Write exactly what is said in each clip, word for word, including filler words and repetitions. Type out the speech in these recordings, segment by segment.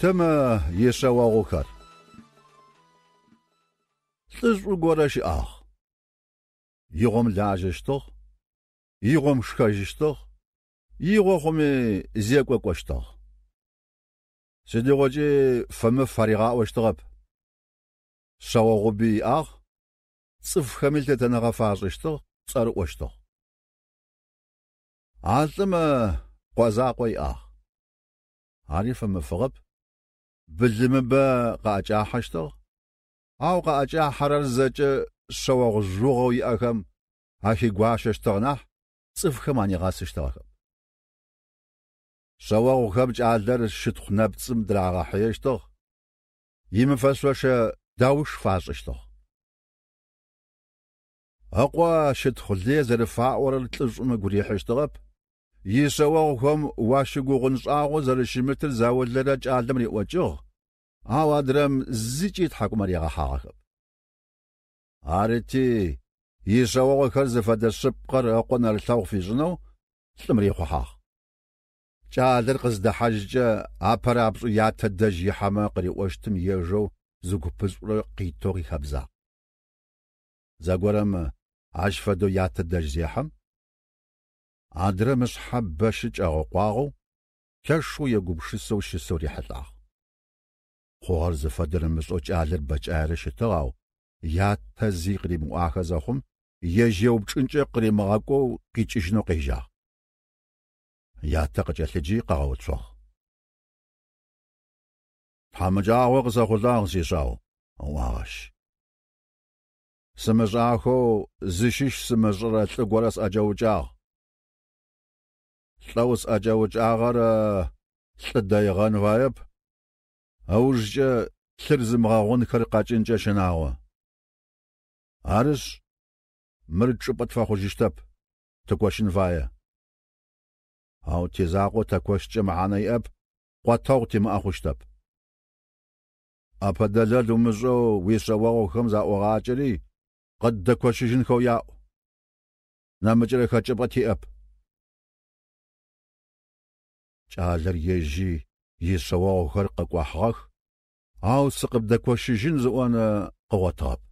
Чэтым ишъэогъухэр. Лӏышӏу горэ щыӏагъ. Игъом лажьэщтыгъ, игъом шхэжьыщтыгъ, игъо хъуми зекӏо кӏощтыгъ. Сыдигъокӏи фэмыф аригъаӏощтыгъэп. Шъэогъуби иӏагъ, цӏыфхэми лъытэныгъэ фашӏыщтыгъ, цӏэрыӏощтыгъ. А лӏым къо закъо иӏагъ. Ари фэмыфыгъэп. Былымыбэ къаӏэкӏахьэщтыгъ, ау къаӏэкӏахьэрэр зэкӏэ шъэогъу жъугъэу иӏэхэм ахигуащэщтыгъ нахь цӏыфхэм анигъэсыщтыгъэхэп. Шъэогъухэм кӏалэр щытхъу нэпцӏым дырагъэхьыещтыгъ, имыфэшъошэ дауш фашӏыщтыгъ. Ыкъо щытхъу лые зэрыфаӏорэр лӏышӏум ыгу рихьыщтыгъэп, ишъэогъухэм уащыгугъын шӏагъо зэрэщымытыр заулэрэ кӏалэм риӏокӏыгъ, ау адрэм зыкӏи тхьакӏумэ ригъэхьагъэхэп. Арыти, ишъэогъухэр зыфэдэ шъыпкъэр ыкъо нэрылъэгъу фишӏынэу лӏым рихъухьагъ. Кӏалэр къыздэхьажькӏэ апэрапшӏэу ятэ дэжь ихьэмэ къыриӏощтым ежэу зы купышӏурэ къитэу къихэбзагъ. Зэгорэм ащ фэдэу ятэ дэжь зехьэм, адрэм ышъхьэ бэщы кӏэгъэкъуагъэу, лъэшэу егупшысэу щысэу рихьылӏагъ. Хъугъэр зыфэдэр ымышӏэу кӏалэр бэкӏаерэ щытыгъ, ау ятэ зи къыримыӏуахэ зэхъум, ежь еупчӏынкӏэ къыримыгъэкӏоу къикӏыжьынэу къежьагъ. Ятэ къыкӏэлъыджи къыгъэуцугъ. Тхьамыкӏагъо къысэхъулӏагъ, сишъау, ыӏуагъ ащ. Сымышӏахэу зыщыщ сымышӏэрэ лӏы горэ сӏэкӏэукӏагъ. Лӏэу сӏэкӏэукӏагъэр лӏы дэигъэн фаеп, ыужкӏэ лъыр зымыгъэгъунхэр къэкӏынкӏэ щынагъо. Арышъ, мыр чӏыпӏэ тфэхъужьыщтэп, тыкощын фае. Ау тизакъо тэкощкӏэ мэхьанэ иӏэп, къотэгъу тимыӏэ хъущтэп. Ӏэпэдэлэл умышӏэу уишъэогъухэм заӏогъакӏэри къыддэкощыжьынхэу яӏу. Нэмыкӏырэ хэкӏыпӏэ тиӏэп. Кӏалэр ежьи ишъэогъухэр къыкӏуахьыгъэх, ау сыкъыбдэкощыжьын зыӏон къыгъотыгъэп.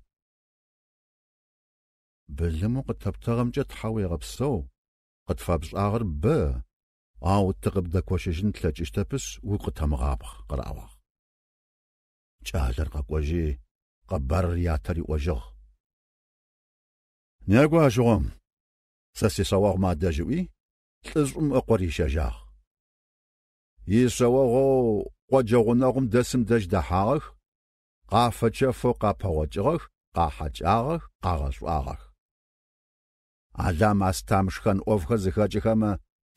Былымэу къытэптыгъэмкӏэ Тхьэ уегъэпсэу, къытфэпшӏагъэр бэ, ау тыкъыбдэкощыжьын тлъэкӏыщтэпышъ угу къытэмыгъабгъ, къыраӏуагъ. Кӏалэр къэкӏожьи, къэбарыр ятэ риӏожьыгъ. Некӏо ащыгъом, сэ сишъэогъумэ адэжь ыӏуи, лӏышӏум ыкъо рищэжьагъ. Ишъэогъоу къоджэ гъунэгъум дэсым дэжь дэхьагъэх, къафэчэфэу къапэгъокӏыгъэх, къахьэкӏагъэх, къагъэшӏуагъэх. Алам астам шхэн ӏофхэр зыхэкӏыхэмэ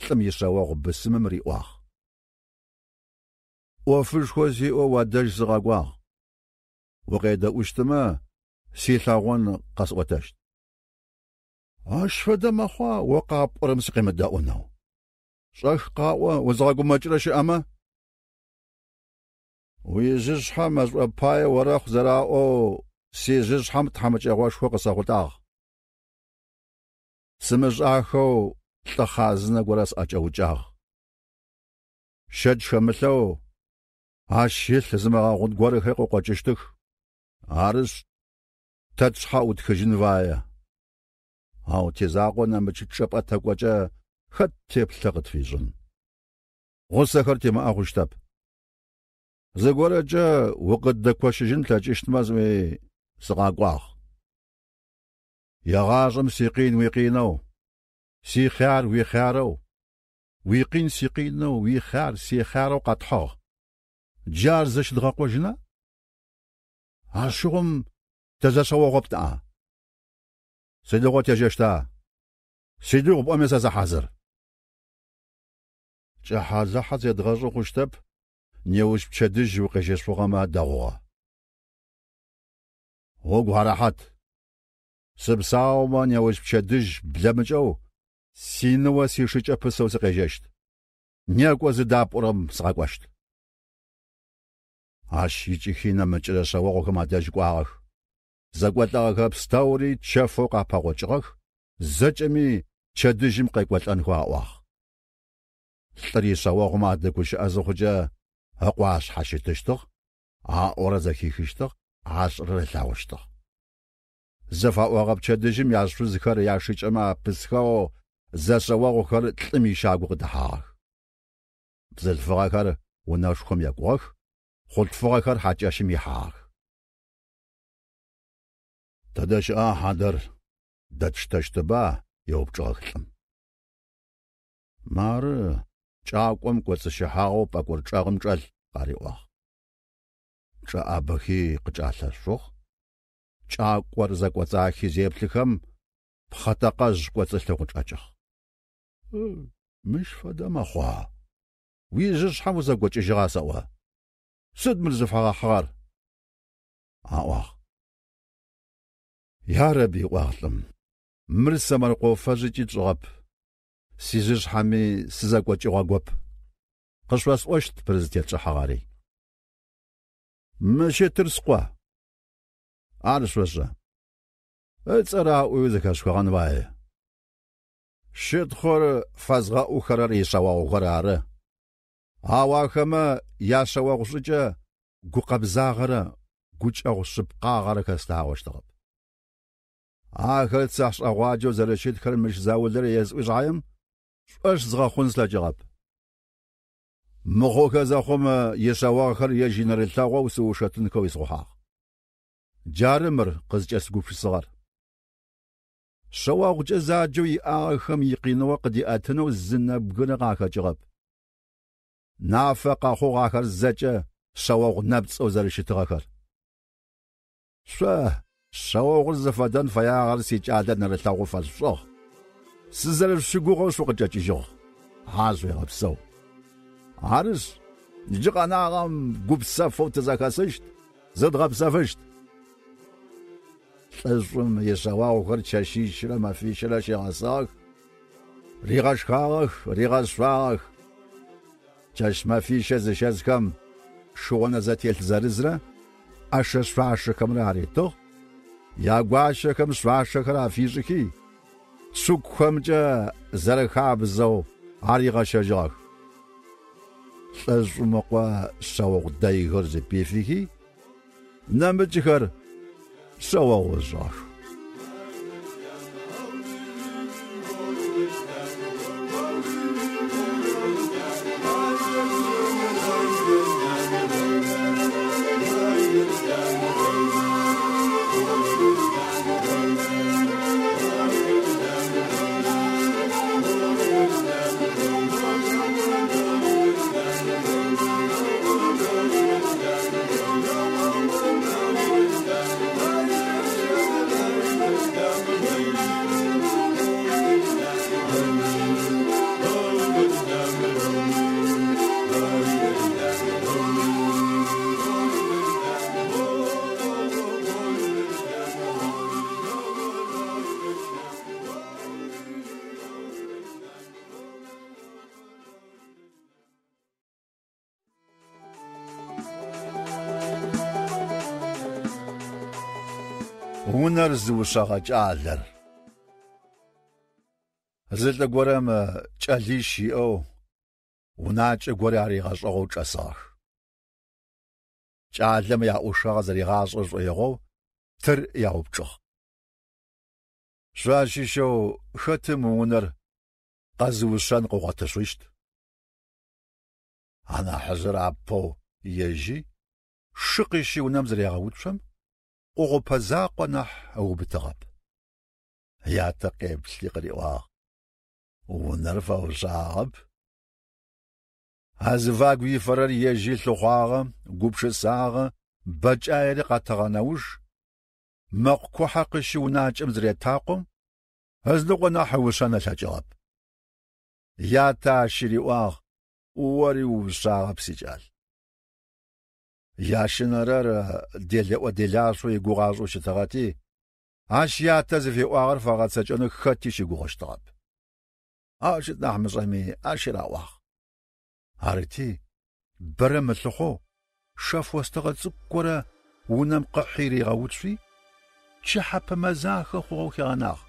лӏым ишъэогъу бысымым риӏуагъ. Ӏофышхо сиӏэу уадэжь сыгъэкӏуагъ. Укъедэӏущтымэ, силъэгъон къэсӏотэщт. Ащ фэдэ мэхъуа о къапӏорэм сыкъемыдэӏунэу. Шӏэх къаӏо узгъэгумэкӏырэ щыӏэмэ? Уижъышъхьэ мэшӏо пае орэхъу зэраӏоу сижъышъхьэм тхьамыкӏэгъошхо къысэхъулӏагъ. Сымышӏахэу лӏы хъазынэ горэ сӏэкӏэукӏагъ. Щэч хэмылъэу ащ илъ зымыгъэгъун горэхэр къыкъокӏыщтых. Арышъ, тэ тшъхьэ ӏутхыжьын фае. Ау тизакъо нэмыкӏ чӏыпӏэ тэкӏокӏэ хэт теплъэ къытфишӏын. Гъусэхэр тимыӏэ хъущтэп. Зыгорэкӏэ укъыддэкощыжьын плъэкӏыщтмэ сӏуи сыкъэкӏуагъ. Егъашӏэм сикъин уикъинэу, сихъяр уихъярэу, уикъин сикъинэу, уихъяр сихъярэу къэтхьыгъ. Джар зэщыдгъэкъожьына? Ащыгъум тэзэшъэогъоп ныӏа. Сыдигъо тежьэщта? Сыдигъу пӏоми сэ сыхьазыр. Кӏыхьэлыхьэ зедгъэшӏы хъущтэп, неущ пчэдыжь укъежьэшъугъэмэ дэгъугъэ. Угу гъэрэхьат. Сыпсаумэ неущ пчэдыжь блэмыкӏэу синыо сишыкӏэ пысэу сыкъежьэщт. Некӏо зыдапӏорэм сыкъэкӏощт. Ащ икӏыхи нэмыкӏырэ шъэогъухэм адэжь кӏуагъэх. Зэкӏолӏэгъэхэ пстэури чэфэу къапэгъокӏыгъэх, зэкӏэми пчэдыжьым къекӏолӏэнхэу аӏуагъ. Лӏыр ишъэогъумэ адэгущыӏэ зыхъукӏэ Ыкъо ашъхьащытыщтыгъ, аӏорэр зэхихыщтыгъ, ашӏэрэр ылъэгъущтыгъ. Зэфаӏогъэ пчэдыжьым яшъузхэр яшыкӏэмэ апысхэу зэшъэогъухэр лӏым ищагу къыдэхьагъэх. Бзылъфыгъэхэр унэшхом екӏугъэх, хъулъфыгъэхэр хьакӏэщым ихьагъэх. Тэдэ щыӏа хьадэр дэтштэщтыба? Еупчӏыгъэх лӏым. Мары кӏакӏом кӏоцӏыщыхьагъэу пӏэкӏор чӏэгъым чӏэлъ, къариӏуагъ. Чӏэӏабэхи къычӏалъэшъугъ. Кӏакӏор зэкӏоцӏахи зеплъыхэм пхъэтэкъэжъ кӏоцӏылъэу къычӏэкӏыгъ. Мыщ фэдэ мэхъуа? Уижъышъхьэм узэгокӏыжьыгъа сэӏо? Сыд мыр зыфэгъэхьыгъэр? Аӏуагъ. Ярэби, ыӏуагъ лӏым, мыр сэмэркъэу фэжъыкӏи тшӏыгъэп. Сижъышъхьэми сызэкӏокӏыгъэгоп. Къышъосӏощт мыр зытетшӏыхьагъэри. Мы щытыр скъо. Ар шъошӏэ. Ыцӏэ раӏуи зэхэшъухыгъэн фае. Щытхъур фэзгъэӏухэрэр ишъэогъухэр ары. Ау ахэмэ яшъэогъу шӏыкӏэ гукъэбзагъэрэ гукӏэгъу шъыпкъагъэрэ хэслъагъощтыгъэп. Ахэр цахьшӏэгъуаджэу зэрэщытхэр мыщ заулэрэ есӏуи шъхьаем шӏошъ згъэхъун слъэкӏыгъэп. Мыхъухэ зэхъум ишъэогъухэр ежь инэрылъэгъоу сыушэтынхэу исхъухьагъ. Джары мыр къызкӏэсыгупшысыгъэр. Шъэогъукӏэ заджэу иӏагъэхэм икъиныгъо къыдиӏэтынэу зы нэбгырэ къахэкӏыгъэп. Нафэ къэхъугъ ахэр зэкӏэ шъэогъу нэпцӏэу зэрэщытыгъэхэр. Шъо шъэогъур зыфэдэн фэягъэр сикӏалэ нэрылъэгъу фэсшӏыгъ. Сызэрэшъущыгугъэу шъукъычӏэкӏыжьыгъ. Хьашъуегъэпсэу. Арышъ, джы къэнагъэм гупсэфэу тызэхэсыщт, зыдгъэпсэфыщт. Лӏышӏум ишъэогъухэр чэщищрэ мэфищрэ щигъэсыгъэх, ригъэшхагъэх, ригъэшъуагъэх. Чэщ мэфищэ зыщэсхэм шыгъонэ зэтелъ зырызрэ ӏэшэ шъуашэхэмрэ аритыгъ. Ягуащэхэм шъуашэхэр афишӏыхи, цукухэмкӏэ зэрэхабзэу аригъэщэжьыгъэх. Лӏышӏум ыкъо шъэогъу дэйхэр зыпифыхи, нэмыкӏхэр шъэогъу ышӏыгъэх. Унэр зыушъэгъэ кӏалэр. Зы лӏы горэм кӏэлищ иӏэу унакӏэ горэ аригъэшӏыгъэу чӏэсыгъэх. Кӏалэмэ яӏушыгъэ зэригъашӏэ шӏоигъоу тыр яупчӏыгъ. Шъуащыщэу хэтым унэр къэзыушъэн къыгъотышъущт? Анахьыжъыр апэу ежьи, шы къыщи унэм зырегъэуцом, къогъупэ закъо нахь ыубытыгъэп. Ятэ къеплъи къыриӏуагъ: Унэр фэушъагъэп. Азыфагу ифэрэр ежьи лъыхъуагъэ, гупшысагъэ, бэкӏаери къэтыгъэ нэуж, мэкъу кухьэ къыщи унакӏэм зыретакъом, ызыныкъо нахь ыушъэн ылъэкӏыгъэп. Ятэ ащ риӏуагъ: Ори уушъагъэп, сикӏал. Ящэнэрэр делэӏо-делашъоу игугъашӏэу щытыгъэти, ащ ятэ зыфиӏуагъэр фэгъэцэкӏэнэу хэти щыгугъыщтыгъэп. Ау щыт нахь мышӏэми ащ раӏуагъ. Арыти, бэрэ мылъыхъоу шэф остыгъэ цӏыкӏу горэ унэм къыхьи ригъэуцуи, пчыхьэпэ мэзахэ хъугъэу хигъэнагъ.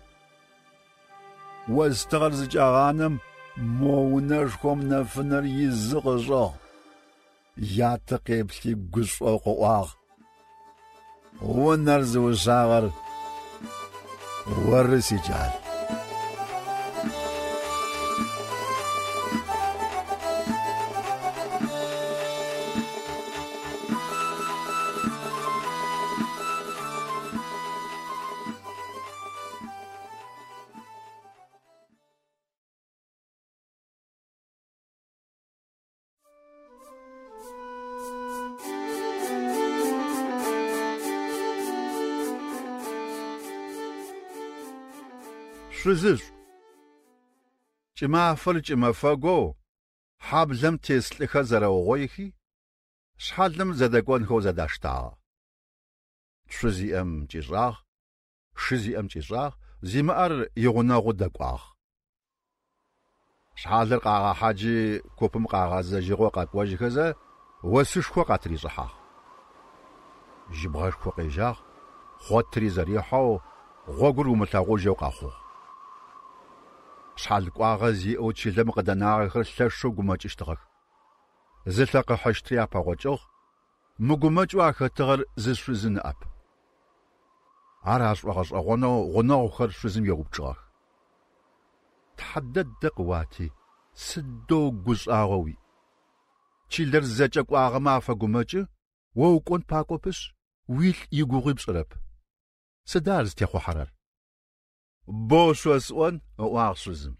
Остыгъэр зыкӏагъанэм мо унэшхом нэфынэр изы къышӏыгъ. Ятэ къеплъи гушӀоу къыӀуагъ: Унэр зыушъагъэр оры, сикӀал. Шъузышӏу. Кӏымафэр кӏымэфэгоу хьаблэм тес лӏыхэр зэрэугъоихи, шъхьалым зэдэкӏонхэу зэдаштагъэ. Цу зиӏэм кӏишӏагъ, шы зиӏэм кӏишӏагъ, зимыӏэр игъунэгъу дэкӏуагъ. Шъхьалыр къагъэхьаджи купым къагъэзэжьыгъэу къэкӏожьхэзэ осышхо къатришӏыхьагъ. Жьыбгъэшхо къежьагъ, хъотри зэрихьэу гъогур умылъэгъужьэу къэхъугъ. Шъхьал кӏуагъэ зиӏэу чылэм къыдэнагъэхэр лъэшэу гумэкӏыщтыгъэх. Зылъэ къыхьыщтри апэгъокӏыгъ, мыгумэкӏэу ахэтыгъэр зы шъузы ныӏэп. Ар ашӏогъэшӏэгъонэу гъунэгъухэр шъузым еупчӏыгъэх. Тхьэ дэдэ къыуати, сыдэу гушӏагъо уиӏ. Чылэр зэкӏэ кӏуагъэмэ афэгумэкӏы, о укӏон пакӏопышъ, уилӏ игугъуи пшӏырэп. Сыда ар зытехъухьэрэр? Бо шъосӏон, ыӏуагъ шъузым.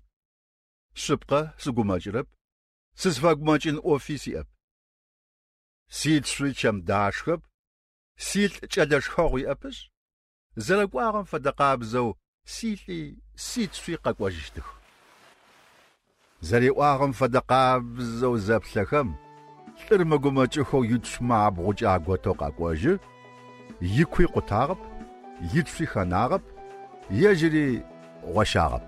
Шъыпкъэ сыгумэкӏырэп, сызфэгумэкӏын ӏофи сиӏэп. Сицуи чэм дашхэп, силӏ кӏэлэ шхэгъу иӏэпышъ, зэрэкӏуагъэм фэдэ къабзэу силӏи сицуи къэкӏожьыщтых. Зэриӏуагъэм фэдэ къабзэу зэплъэхэм, лӏыр мыгумэкӏыхэу ицумэ абгъукӏэ аготэу къэкӏожьы, икуи къутагъэп, ицуи хэнагъэп, ежьыри гъощагъэп.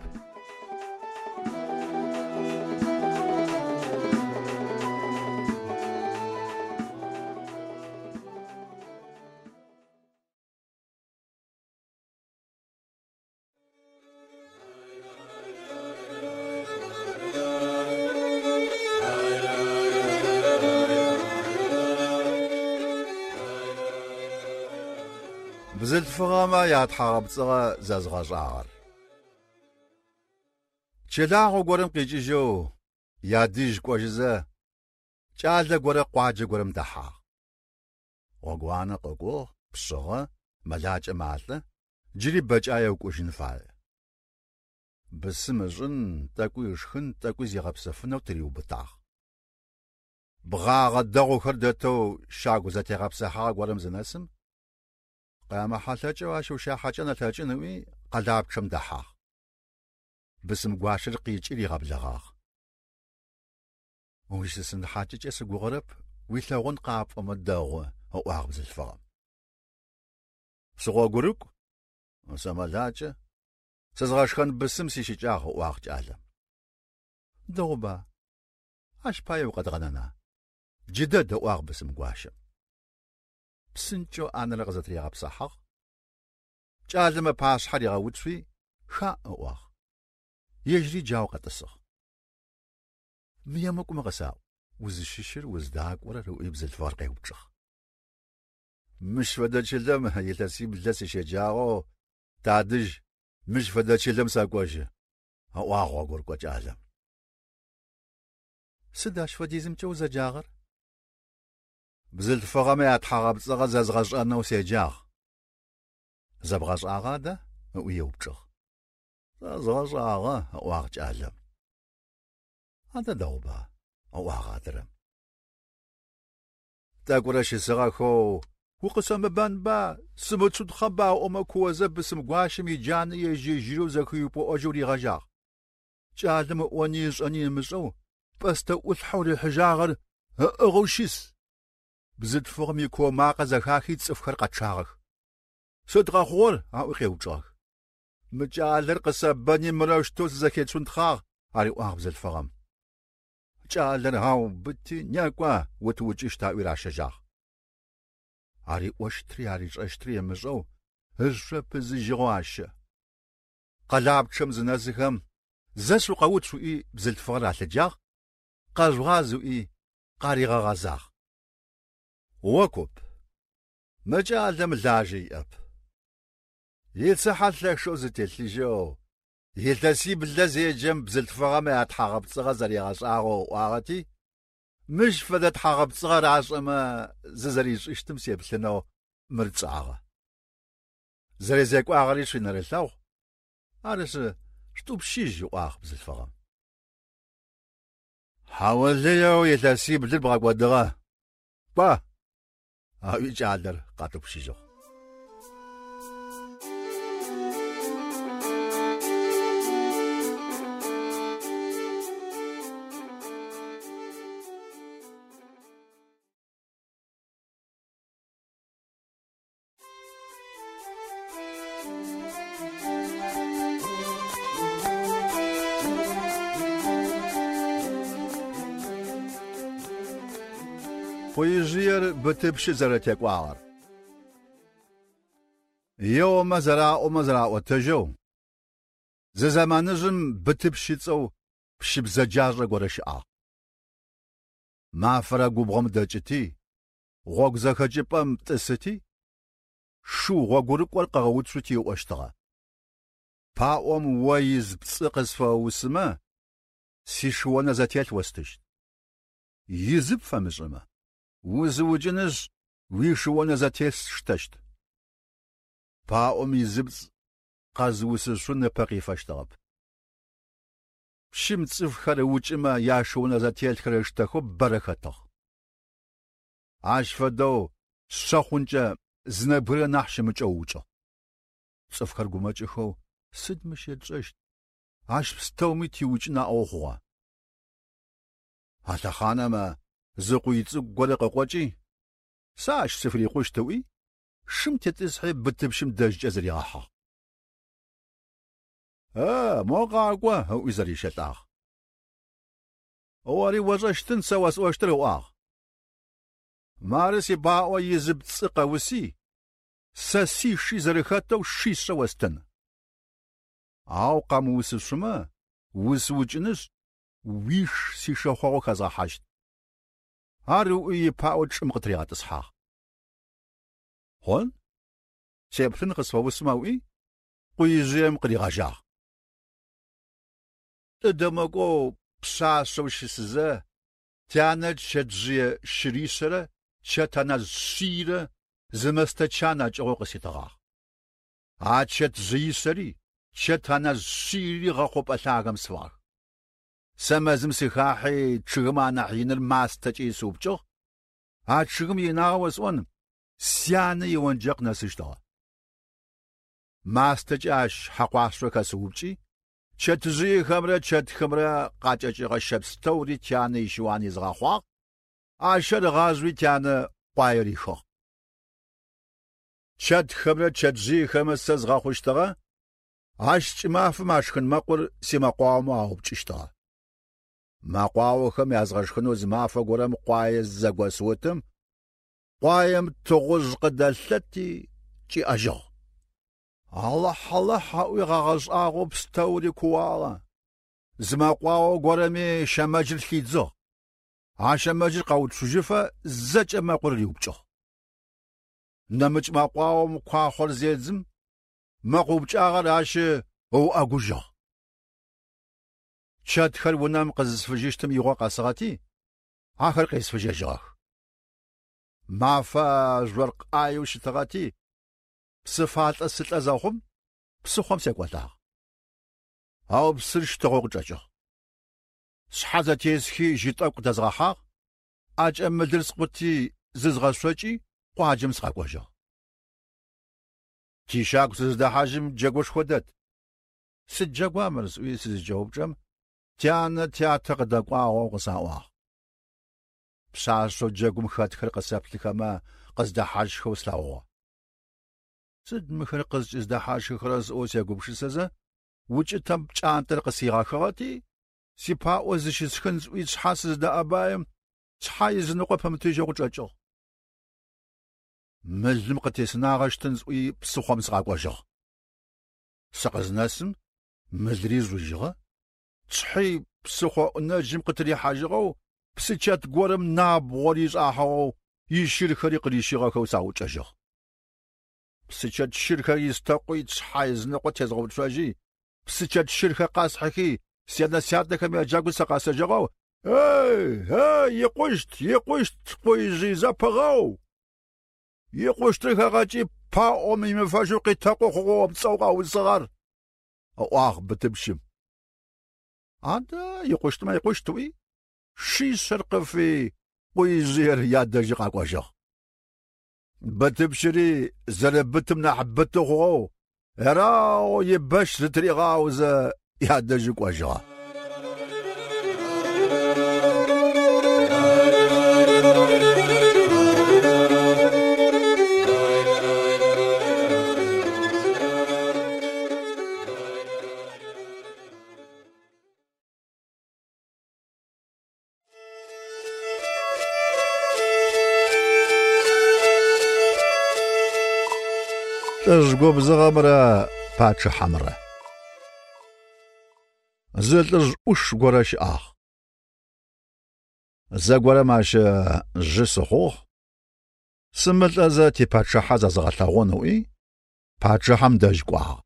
Бзылъфыгъэмэ ятхьагъэпцӏыгъэ зэзгъэшӏагъэр. Чылагъо горэм къикӏыжьэу ядэжь кӏожьызэ, кӏалэ горэ къуаджэ горэм дэхьагъ. Гъогуанэ къыкӏугъ, пшъыгъэ, мэлакӏэ малӏэ, джыри бэкӏае ыкӏужьын фае. Бысым ышӏын, тӏэкӏуи ышхын, тӏэкӏуи зигъэпсэфынэу тыриубытагъ. Бгъагъэ дэгъухэр дэтэу щагу зэтегъэпсыхьагъэ горэм зынэсым, къямыхьэлъэкӏэу ащ ущахьакӏэн ылъэкӏын ыӏуи къэлапчъэм дэхьагъ. Бысым гуащэр къикӏи ригъэблэгъагъ. Ущысын хьакӏэкӏэ сыгугъэрэп, уилъэгъун къапӏомэ дэгъу, ыӏуагъ бзылъфыгъэм. Сыгъогурыкӏу, сэмэлакӏэ, сызгъэшхэн бысым сищыкӏагъ, ыӏуагъ кӏалэм. Дэгъуба, ащ пае укъэдгъэнэна? Джыдэд, ыӏуагъ бысым гуащэм. Псынкӏэу ӏанэр къызэтыригъэпсыхьагъ. Кӏалэм ыпашъхьэ ригъэуцуи, ха ыӏуагъ. Ежьыри джау къэтӏысыгъ. Мы емыкӏумэ къысаӏу, узыщыщыр уздакӏорэр ыӏуи бзылъфыгъэр къеупчӏыгъ. Мыщ фэдэ чылэм илъэсиблэ сыщеджагъэу тадэжь мыщ фэдэ чылэм сэкӏожьы, ыӏуагъ гъогурыкӏо кӏалэм. Сыд ащ фэдизымкӏэ узэджагъэр? Бзылъфыгъэмэ ятхьагъэпцӏыгъэ зэзгъэшӏэнэу седжагъ. Зэбгъэшӏагъа да? Ыӏуи еупчӏыгъ. Зэзгъэшӏагъэ, ыӏуагъ кӏалэм. Адэ дэгъуба, ыӏуагъ адрэм. Тӏэкӏурэ щысыгъэхэу укъысэмыбэнба, сымыцудхъэба ыӏомэ куозэ бысым гуащэм иджанэ ежь-ежьырэу зэхиупӏыӏожьэу ригъэжьагъ. Кӏалэм ыӏони ышӏэни ымышӏэу пӏэстэ ӏулъхьэу рихьыжьагъэр ыӏыгъэу щыс. Бзылъфыгъэм икуо макъэ зэхахи цӏыфхэр къэчъагъэх. Сыд къэхъугъэр? Аӏуи къеупчӏыгъэх. Мы кӏалэр къысэбэни мырэущтэу сызэхецунтхъагъ, ариӏуагъ бзылъфыгъэм. Кӏалэр аубыти, некӏо, утыукӏыщт аӏуи ращэжьагъ. Ариӏощтри аришӏэщтри ымышӏэу ышъо пызыжьыгъэу ащэ. Къэлапчъэм зынэсыхэм зэ шъукъэуцу ыӏуи бзылъфыгъэр алъыджагъ, къэжъугъаз ыӏуи къаригъэгъэзагъ. О куп, мы кӏалэм лажьэ иӏэп. Ицыхьэ лъэшэу зытелъыжьэу, илъэсиблэ зеджэм бзылъфыгъэмэ ятхьагъэпцӏыгъэ зэригъэшӏагъэу ыӏуагъэти, мыщ фэдэ тхьагъэпцӏыгъэ рашӏэмэ зызэришӏыщтым сеплъынэу мыр тшӏагъэ. Зэрезекӏуагъэри шъуинэрылъэгъу, арышъы шъутӏупщыжь ыӏуагъ бзылъфыгъэм. Хьаулыеу илъэсиблыр бгъэкӏодыгъэ. Кӏо, аӏуи кӏалэр къатӏупщыжьыгъ. Къуижъыер Бытыпщы зэрэтекӏуагъэр. Еомэ зэраӏомэ зэраӏотэжьэу, зы зэманыжъым Бытыпщ ыцӏэу пщы бзэджашӏэ горэ щыӏагъ. Мафэрэ губгъом дэкӏыти, гъогу зэхэкӏыпӏэм тӏысыти, шыу гъогурыкӏор къыгъэуцути ыӏощтыгъэ. Паӏом о из пцӏы къысфэусымэ, сишыонэ зэтелъ остыщт. Изы пфэмышӏымэ, узыукӏынышъ уишыонэ зэтелъ сштэщт. Паӏом изыпцӏ къэзыусышъун ыпэ къифэщтыгъэп. Пщым цӏыфхэр ыукӏымэ яшыонэ зэтелъхэр ыштэхэу бэрэ хэтыгъ. Ащ фэдэу шъэ хъункӏэ зы нэбгырэ нахь щымыкӏэу ыукӏыгъ. Цӏыфхэр гумэкӏыхэу сыд мыщ етшӏэщт? Ащ пстэуми тиукӏын аӏоу хъугъэ. А лъэхъанэмэ зы къуй цӏыкӏу горэ къыкъокӏи, сэ ащ сыфырикъущт ыӏуи, шым тетӏысхьи Бытыпщым дэжькӏэ зыригъэхьыгъ. Э, мо къакӏо, ыӏуи зэрищэлӏагъ. Ори ошӏэщтын сэ осӏощтыр ыӏуагъ. Мары сипаӏо изы пцӏы къэуси, сэ сиши зэрэхэтэу шишъэ остын. Ау къэмыусышъумэ, усыукӏынышъ, уиш сишэхъогъо хэзгъэхьащт. Ар ыӏуи ипаӏо чӏым къытыригъэтӏысхьагъ. Хъун, сеплъын къысфэусымэ ыӏуи, къуижъыем къыригъэжьагъ. Лӏы дэмыкӏоу пшъашъэу щысызэ, тянэ чэтжъые щыришъэрэ чэт аназ шъийрэ зы мэстэ чан акӏыгъэу къыситыгъагъ. А чэтжъыишъэри чэт аназ шъийри гъэхъупӏэ лъагэм сфыгъэх. Сэ мэзым сыхахьи чъыгымэ анахь иныр мастэкӏэ исыупкӏыгъ. А чъыгым инагъэ осӏон, сянэ ионджэкъ нэсыщтыгъэ. Мастэкӏэ ащ хьакъуашъо хэсыупкӏи, чэтжъыехэмрэ чэтхэмрэ къакӏэкӏыгъэ щэ пстэури тянэ ищыуан изгъэхъуагъ, а щэр ыгъажъуи тянэ къуае рихыгъ. Чэтхэмрэ чэтжъыехэмрэ сэ згъэхъущтыгъэ, ащ кӏымафэм ашхын мэкъур симэкъуаомэ аупкӏыщтыгъэ. Мэкъуаохэм язгъэшхынэу зы мафэ горэм къуае зэгосыутым, къуаем тыгъужъ къыдэлъэти кӏиӏэжьыгъ. Алахь-алахь аӏуи гъэгъэшӏагъэу пстэури кууагъэ. Зы мэкъуао горэми щэмэджыр лъидзыгъ. А щэмэджыр къэуцужьыфэ зэкӏэ мэкъур риупкӏыгъ. Нэмыкӏ мэкъуаом куахъор зедзым, мэкъу упкӏагъэр ащ ыуӏэгужьыгъ. Чэтхэр унэм къызысфыжьыщтым игъо къэсыгъэти, ахэр къесфыжьэжьыгъэх. Мафэ жъоркъ ӏаеу щытыгъэти, псы фалӏэ сылӏэ зэхъум, псыхъом секӏолӏагъ. Ау псыр щтыгъэу къычӏэкӏыгъ. Сшъхьэ зэтесхи жьы тӏэкӏу къыдэзгъэхьагъ, ӏэкӏэ мылыр скъути зызгъэшъокӏи къуаджэм сыкъэкӏожьыгъ. Тищагу сыздэхьажьым джэгушхо дэт. Сыд джэгуа мыр сӏуи сызыкӏэупчӏэм, тянэ тятэ къыдэкӏуагъэу къысаӏуагъ. Пшъашъэу джэгум хэтхэр къысэплъыхэмэ къыздэхьажьхэу слъэгъугъэ. Сыд мыхэр къызкӏыздэхьажьхэрэр сӏоу сегупшысэзэ, укӏытэм пкӏантӏэр къысигъэхыгъэти, сипаӏо зыщысхын сӏуи сшъхьэ сыздэӏэбаем, сшъхьэ изыныкъо пэмытыжьэу къычӏэкӏыгъ. Мылым къытесынагъэщтын сӏуи псыхъом сыкъэкӏожьыгъ. Сыкъызнэсым мылри жъужьыгъэ, сшъхьи псыхъо ӏунэжьым къытырихьажьыгъэу, псычэт горэм набгъор ишӏахьыгъэу ищырхэри къырищыгъэхэу саӏукӏэжьыгъ. Псычэт щырхэр истэкъуи тшъхьэ ызыныкъо тезгъэуцожьи, псычэт щырхэр къасхьыхи, сянэ-сятэхэм яджэгу сэ къэсэжьыгъэу «Эй, эй, икъущт, икъущт, къуижъый зэпыгъэу! Икъущтыр хэгъэкӏи паӏом имыфэжьэу къитэкъу хъугъэ пцӏэу къаусыгъэр!» ыӏуагъ бытыпщым. Адэ икъущтмэ икъущт ыӏуи, шишъэр къыфи къуижъыер ядэжьы къэкӏожьыгъ. Бытыпщыри зэрэбытым нахь быты хъугъэу, ерагъэу ибэщ зытыригъаузэ ядэжьы кӏожьыгъэ. Лӏыжъ губзыгъэмрэ пачъыхьэмрэ. Зы лӏыжъ ӏуш горэ щыӏагъ. Зэгорэм ащ жьы сыхъугъ. Сымылӏэзэ типачъыхьэ зэзгъэлъэгъун ыӏуи, пачъыхьэм дэжь кӏуагъ.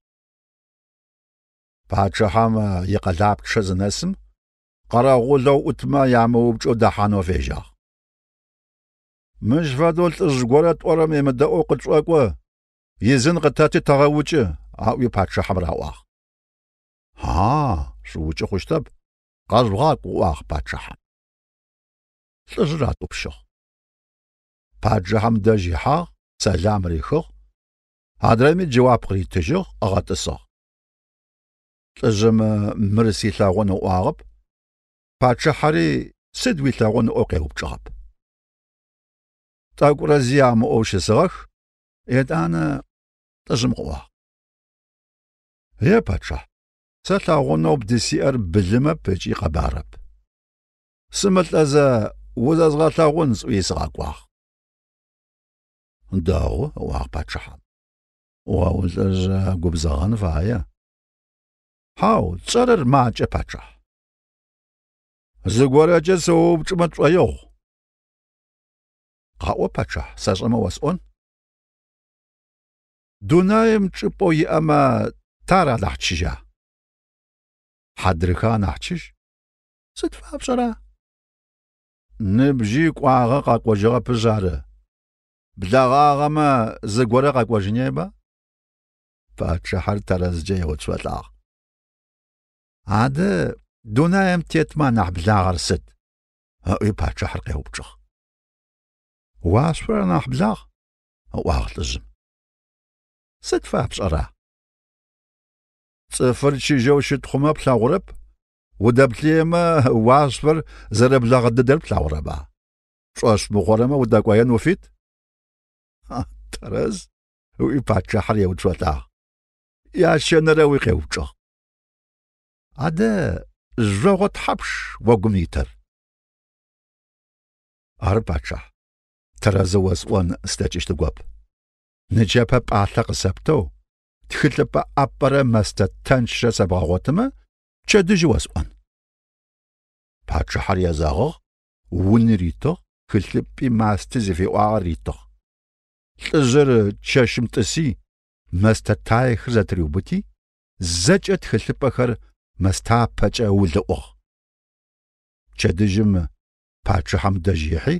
Пачъыхьэм икъэлапчъэ зынэсым, къэрэгъулэу ӏутмэ ямыупчӏэу дэхьанэу фежьагъ. Мыщ фэдэу лӏыжъ горэ тӏорэм емыдэӏоу къытшӏокӏо, изын къытэти тэгъэукӏы, аӏуи пачъыхьэм раӏуагъ. А, шъуукӏы хъущтэп, къэжъугъакӏу, ыӏуагъ пачъыхьэм. Лӏыжъыр атӏупщыгъ. Пачъыхьэм дэжь ихьагъ, сэлам рихыгъ, адрэми джэуап къыритыжьыгъ, ыгъэтӏысыгъ. Лӏыжъым мыр силъэгъун ыӏуагъэп, пачъыхьэри сыд уилъэгъун ыӏоу къеупчӏыгъэп. Тӏэкӏурэ зи амыӏоу щысыгъэх, етӏанэ лӏыжъым къыӏуагъ. Е пачъыхь, сэ лъэгъунэу бдысиӏэр былымэп ыкӏи къэбарэп. Сымылӏэзэ узэзгъэлъэгъун сӏуи сыгъэкӏуагъ. Дэгъу, ыӏуагъ пачъыхьэм. О улӏыжъ губзыгъэн фае. Хьау, тшӏэрэр макӏэ, пачъыхь. Зыгорэкӏэ сыоупчӏымэ тшӏоигъу. Къаӏо, пачъыхь, сэшӏэмэ осӏон. Дунаим чӏыпӏэу иӏэмэ тар анахь чыжьа? Хьадрыхэ анахь чыжь. Сыд фапшӏэра? Ныбжьи кӏуагъэ къэкӏожьыгъэпышъ ары. Блэгъагъэмэ зыгорэ къэкӏожьынеба? Пачъыхьэр тэрэзкӏэ еуцолӏагъ. Адэ дунаим тетмэ анахь благъэр сыд? Ыӏуи пачъыхьэр къеупчӏыгъ. Уашъор анахь благъ, ыӏуагъ лӏыжъым. Сыд фапшӏэра? Цӏыфыр чыжьэу щыт хъумэ плъэгъурэп, удэплъыемэ уашъор зэрэблэгъэ дыдэр плъэгъурэба? Пшӏошъ мыхъурэмэ удэкӏоен уфит? Тэрэз, ыӏуи пачъыхьэр еуцолӏагъ. Ящэнэрэуи къеупчӏыгъ. Адэ жъогъо тхьапш огум итыр? Ары пачъыхь, тэрэзэу осӏон слъэкӏыщтыгоп. Нычэпэ пӏалъэ къысэптэу, тхылъыпӏэ ӏапӏэрэ мэстэ тэнчрэ сэбгъэгъотымэ, пчэдыжьы осӏон. Пачъыхьэр езэгъыгъ, уни ритыгъ, тхылъыпӏи масти зыфиӏуагъэр ритыгъ. Лӏыжъыр чэщым тӏыси, мэстэ таехэр зэтыриубыти, зэкӏэ тхылъыпӏэхэр мэстапэкӏэ ыулыӏугъ. Пчэдыжьым пачъыхьэм дэжь ихьи,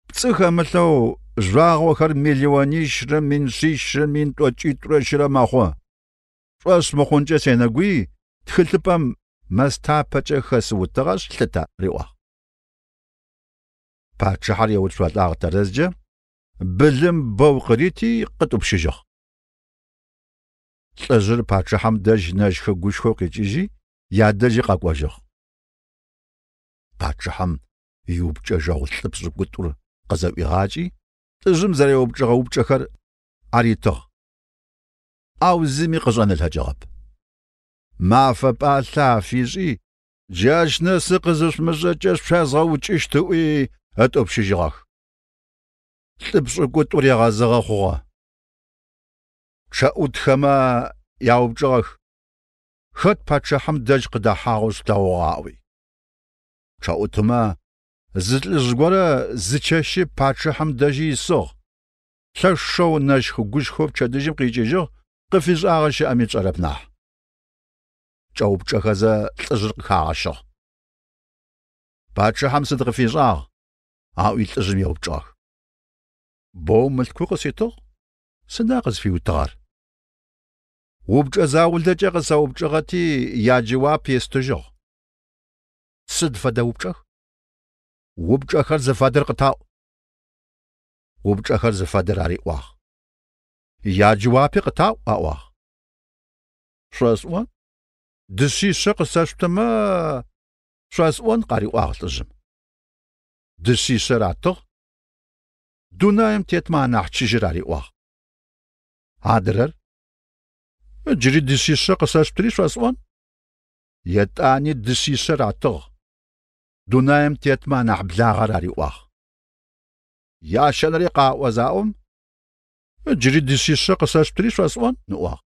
пцӏы хэмылъэу жъуагъохэр миллионищрэ мин шъищрэ мин тӏокӏитӏурэ щырэ мэхъу. Пшӏошъ мыхъункӏэ сенэгуи, тхылъыпӏэм мэстапэкӏэ хэсыутыгъэшъ лъытэ, риӏуагъ. Пачъыхьэр еуцолӏагъ тэрэзкӏэ, былым бэу къырити къытӏупщыжьыгъ. Лӏыжъыр пачъыхьэм дэжь нэшхо-гушхоу къикӏыжьи, ядэжьи къэкӏожьыгъ. Пачъыхьэм иупчӏэжьэгъу лӏы пшӏыкӏутӏур къызэӏуигъакӏи, лӏыжъым зэреупчӏыгъэ упчӏэхэр аритыгъ. Ау зыми къышӏэн ылъэкӏыгъэп. Мафэ пӏалъэ афишӏи, джащ нэсы къызышъумышӏэкӏэ шъуязгъэукӏыщт ыӏуи ытӏупщыжьыгъэх. Лӏы пшӏыкӏутӏур егъэзыгъэ хъугъэ. Пчъэӏутхэмэ яупчӏыгъэх. Хэт пачъыхьэм дэжь къыдэхьагъэу шъулъэгъугъа ыӏуи. Пчъэӏутымэ Зы лӏыжъ горэ зы чэщи пачъыхьэм дэжьи исыгъ. Лъэшэу нэщх-гущхэу пчэдыжьым къикӏыжьыгъ, къыфишӏагъэ щыӏэми тшӏэрэп нахь. Кӏэупчӏэхэзэ лӏыжъыр къыхагъэщыгъ. Пачъыхьэм сыд къыфишӏагъ? Аӏуи лӏыжъым еупчӏыгъэх. Боу мылъку къыситыгъ, сыда къызфиутыгъэр? Упчӏэ заулэкӏэ къысэупчӏыгъэти яджэуап естыжьыгъ. Сыд фэдэ упчӏэх? Упчӏэхэр зыфэдэр къытаӏу. Упчӏэхэр зыфэдэр ариӏуагъ. Яджэуапи къытаӏу аӏуагъ. Шъосӏон, дышъишъэ къысэшъутымэ шъосӏон къариӏуагъ лӏыжъым. Дышъишъэ ратыгъ, дунаим тетмэ анахь чыжьыр ариӏуагъ. Адрэр джыри дышъишъэ къысэшъутыри шъосӏон. Етӏани дышъишъэ ратыгъ, дунаим тетмэ анахь благъэр ариӏуагъ. Ящэнэри къаӏо заӏом, джыри дышъишъэ къысэшъутыри шъосӏон ыӏуагъ.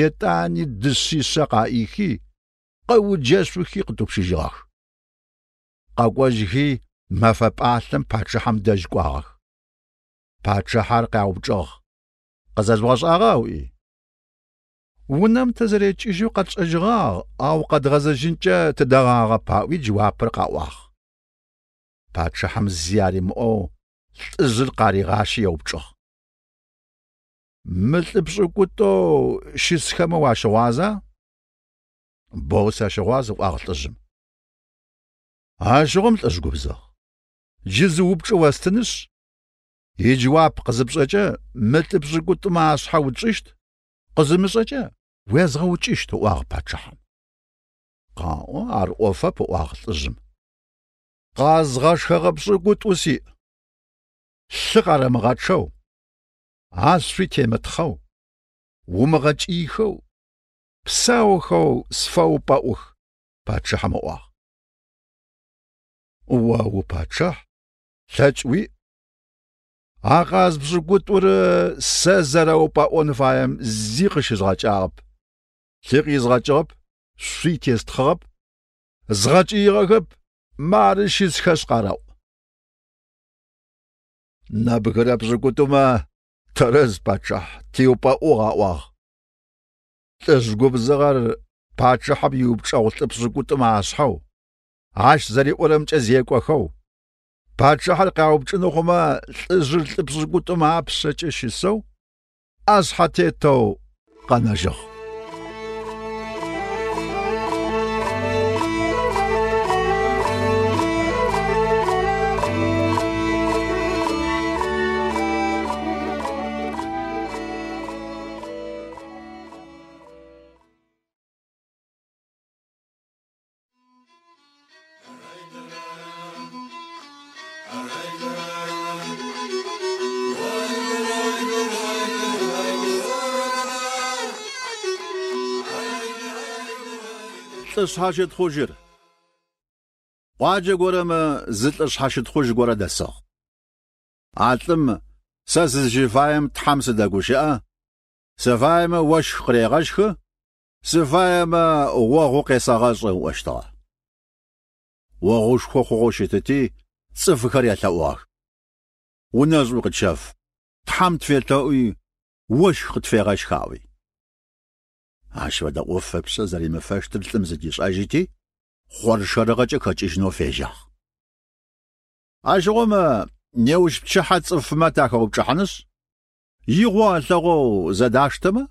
Етӏани дышъишъэ къаӏихи, къэуджэшъухи къытӏупщыжьыгъэх. Къэкӏожьхи мэфэ пӏалъэм пачъыхьэм дэжь кӏуагъэх. Пачъыхьэр къяупчӏыгъ. Къызэжъугъэшӏагъа ыӏуи? Унэм тызэрекӏыжьэу къэтшӏэжьыгъагъ, ау къэдгъэзэжьынкӏэ тыдэгъагъэп аӏуи джэуапыр къаӏуагъ. Пачъыхьэм зи аримыӏоу лӏыжъыр къаригъащи еупчӏыгъ. Мы лӏы пшӏыкӏутӏоу щысхэмэ уащыгъуаза? Боу сащыгъуаз, ыӏуагъ лӏыжъым. Ащыгъум лӏыжъ губзыгъ. Джы зы упчӏэ остынышъ, иджэуап къызыпшӏэкӏэ мы лӏы пшӏыкӏутӏумэ ашъхьэ утшӏыщт, къызымышӏэкӏэ уезгъэукӏыщт, ыӏуагъ пачъыхьэм. Къаӏо, ар ӏофэп, ыӏуагъ лӏыжъым. Къазгъэшхэгъэ пшӏыкӏутӏу сиӏ. Лъы къарэмыгъэчъэу, ашъуи темытхъэу, умыгъэкӏыйхэу, псаухэу сфэупӏэӏух, пачъыхьэм ыӏуагъ. О упачъыхь, лъэкӏ уиӏ. А къаз пшӏыкӏутӏур сэ зэрэупӏэӏон фаем зи къыщызгъэкӏагъэп. Лъы къизгъэкӏыгъэп, шъуи тестхъыгъэп, згъэкӏыигъэхэп, мары щысхэшъ къарэӏу. Нэбгырэ пшӏыкӏутӏумэ тэрэз пачъыхь тиупӏэӏугъ аӏуагъ. Лӏыжъ губзыгъэр пачъыхьэм иупчӏэгъу лӏы пшӏыкӏутӏумэ ашъхьэу, ащ зэриӏорэмкӏэ зекӏохэу, пачъыхьэр къяупчӏын хъумэ лӏыжъыр лӏы пшӏыкӏутӏумэ апшъэкӏэ щысэу, ӏэшъхьэ тетэу къэнэжьыгъ. Лӏы шъхьащытхъужьыр. Къуаджэ горэмэ зы лӏы шъхьащытхъужь горэ дэсыгъ. А лӏым сэ сызщыфаем Тхьэм сыдэгущыӏэ, сыфаемэ ощх къырегъэщхы, сыфаемэ огъу къесэгъэшӏы ыӏощтыгъэ. Огъушхо хъугъэу щытыти, цӏыфхэр ялъэӏугъэх. Унэшӏу къытщэф, Тхьэм тфелъэӏуи, ощх къытфегъэщх аӏуи. Ащ фэдэ ӏоф ыпшъэ зэримыфэщтыр лӏым зыдишӏэжьыти, хъоршэрыгъэкӏэ хэкӏыжьынэу фежьагъ. Ащыгъум неущ пчыхьэ цӏыфмэ тахэупчӏыхьанышъ, игъо алъэгъоу зэдаштэмэ,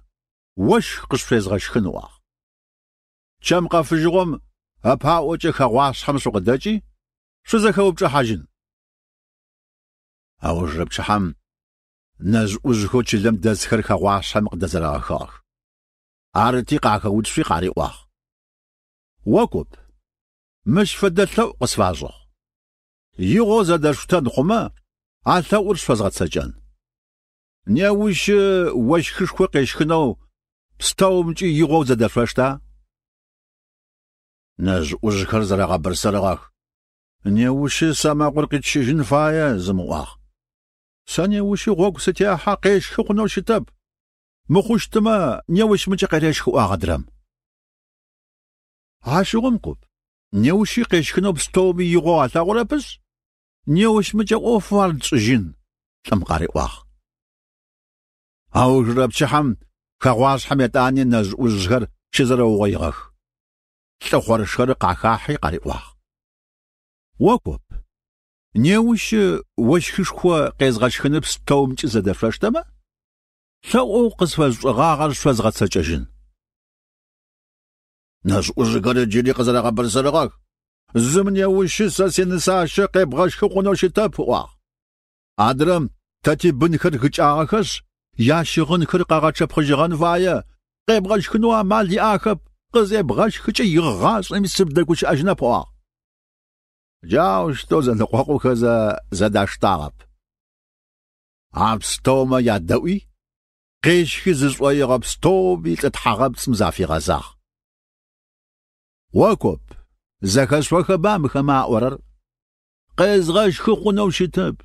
ощх къышъуфезгъэщхын ыӏуагъ. Чэм къэфыжьыгъом ыпаӏокӏэ хэгъуашъхьэм шъукъыдэкӏи, шъузэхэупчӏыхьажьын. Аужырэ пчыхьэм нэжъ-ӏужъхэу чылэм дэсхэр хэгъуашъхьэм къыдэзэрэгъэхыгъэх. Арыти къахэуцуи къариӏуагъ. О куп, мыщ фэдэ лъэӏу къысфашӏыгъ. Игъо зэдэшъутэн хъумэ, а лъэӏур шъуфэзгъэцэкӏэн. Неущ ощхышхо къещхынэу пстэумкӏи игъоу зэдэшъошта? Нэжъ-ӏужъхэр зэрэгъэбырсырыгъэх. Неущы сэмэгур къитщыжьын фае, зым ыӏуагъ. Сэ неущы гъогу сытехьэ къещхы хъунэу щытэп. Мыхъущтымэ неущмыкӏэ къерэщх ыӏуагъ адрэм. Ащыгъум куп, Неущи къещхынэу пстэуми игъоу алъэгъурэпышъ, неущмыкӏэ ӏофэу ар тшӏыжьын, лӏым къариӏуагъ. Аужырэ пчыхьэм хэгъуашъхьэм етӏани нэжъ-ӏужъхэр щызэрэугъоигъэх. Лӏы хъоршэрыр къахахьи къариӏуагъ: О коп, неущ ощхышхо къезгъэщхыныр пстэумкӏи зэдэшъоштэмэ, лъэӏоу къысфэшъушӏыгъагъэр шъозгъэцэкӏэжьын. Нэжъ-ӏужъхэр джыри къызэрэгъэбырсырыгъэх. Зым неущы сэ синысащэ къебгъэшхы хъунэу щытэп, ыӏуагъ. Адрэм тэ тибынхэр гыкӏагъэхэшъ, ящыгъынхэр къэгъэчъэпхъыжьыгъэн фае, къебгъэшхынэу амал иӏахэп, къызебгъэшхыкӏэ игъашӏэми сыбдэгущыӏэжьынэп, ыӏуагъ. Джаущтэу зэныкъокъухэзэ зэдаштагъэп. А пстэумэ ядэӏуи, къещхы зышӏоигъэ пстэуми лӏы тхьагъэпцӏым зафигъэзагъ. О коп, зэхэшъохэба мыхэмэ аӏорэр? Къезгъэшхы хъунэу щытэп.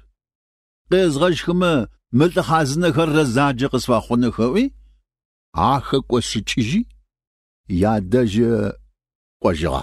Къезгъэшхымэ мы лӏы хъазынэхэр рэзаджэ къысфэхъуных ыӏуи, ахэкӏошъыкӏыжьи, ядэжь кӏожьыгъэ.